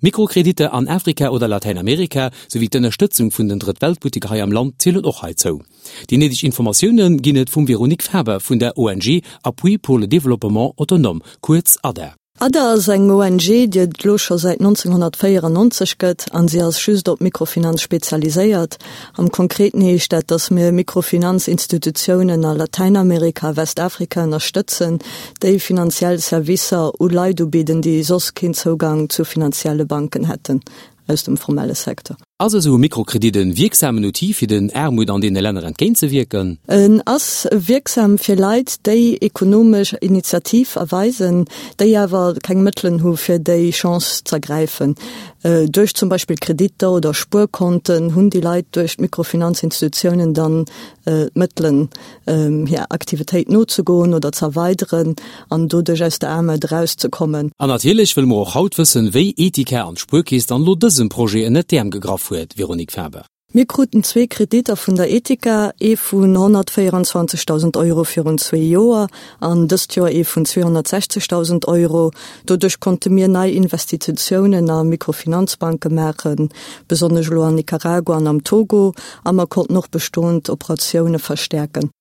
Mikrokreditter an Afrika oder Latäinamerika, souwéi d'Ënnerstëtzung vun den Drëtt-Welt-Butteker hei am Land zielen och heizou. Déi néideg Informatioune ginn et vum Véronique Faber vun der ONG Appui pour le développement autonome, kuerz ADA. ADA ass eng ONG, déi et elo scho säit 1994 gëtt an si ass just op Mikrofinanz spezialiséiert. Am Konkreten heescht dat, datt mir Mikrofinanzinstitutiounen a Latäinamerika a Westafrika ënnerstëtzen, déi finanziell Servicer u Leit ubidden, déi soss keen Zougang zu finanzielle Banken hätten aus dem formelle Secteur. Ass esou e Mikrokredit e wierksamen Outil fir den Aarmut an deene Länner entgéintzewierken? En ass wierksam fir Leit, déi ekonomesch Initiativ erweisen, déi awer keng Mëttelen hu fir déi Chance z'ergräifen. Duerch zum Beispill Kreditter oder Spuerkonten hunn déi Leit duerch d'Mikrofinanzinstitutiounen dann d'Mëttelen, hir Aktivitéit nozegoen oder z'erweideren an doduerch aus der Aarmut erauszekommen. An natierlech wëlle mer och haut wëssen, wéi Etika an d'Spuerkeess dann elo dësem Projet ënnert d'Äerm gegraff huet, Véronique Faber. Mir kruten zwee Kreditter vun der Etika, ee vun 124.000 Euro virun zwee Joer an dëst Joer ee vun 260.000 Euro. Doduerch konnte mir nei Investititiounen a Mikrofinanzbanke maachen, besonnesch elo an Nicaragua an am Togo, a mer konnten och bestoend Operatioune verstäerken.